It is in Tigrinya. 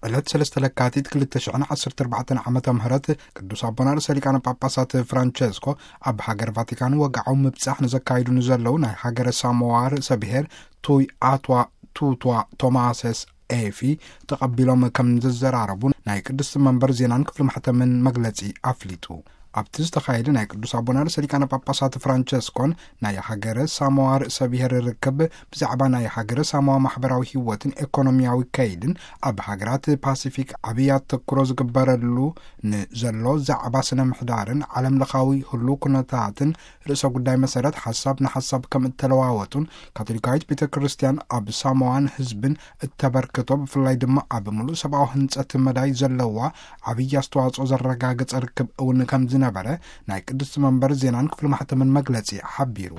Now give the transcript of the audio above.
ዕለት ሰለስተ ለካቲት ክልተ ሽሕን ዓሰርተ ኣርባዕተን ዓመተ ምህረት ቅዱስ ኣቦና ርእሰ ሊቃነ ጳጳሳት ፍራንቸስኮ ኣብ ሃገር ቫቲካን ወግዓዊ ምብጻሕ ንዘካይዱ ንዘለዉ ናይ ሃገረ ሳሞዋ ርእሰ ብሔር ቱይ ኣቷ ቱቷ ቶማሰስ ኤፊ ተቐቢሎም ከም ዝዘራረቡ ናይ ቅድስቲ መንበር ዜናን ክፍሊ ማሕተምን መግለጺ ኣፍሊጡ። ኣብቲ ዝተኻየደ ናይ ቅዱስ ኣቦና ርእሰ ሊቃነ ጳጳሳት ፍራንቸስኮን ናይ ሃገረ ሳሞዋ ርእሰ ብሔር ርክብ ብዛዕባ ናይ ሃገረ ሳሞዋ ማሕበራዊ ህይወትን ኤኮኖሚያዊ ከይድን ኣብ ሃገራት ፓሲፊክ ዓብይ ኣተኩሮ ዝግበረሉ ንዘሎ ዛዕባ ስነ ምሕዳርን ዓለም ለኻዊ ህሉ ኩነታትን ርእሰ ጉዳይ መሰረት ሓሳብ ንሓሳብ ከም እተለዋወጡን ካቶሊካዊት ቤተ ክርስቲያን ኣብ ሳሞዋን ህዝብን እተበርክቶ ብፍላይ ድማ ኣብ ምሉእ ሰብኣዊ ህንጸት መዳይ ዘለዋ ዓብይ ኣስተዋጽኦ ዘረጋገጸ ርክብ እውን ከም ዝነበረ ናይ ቅድስቲ መንበር ዜናን ክፍሊ ማሕተምን መግለጺ ሓቢሩ።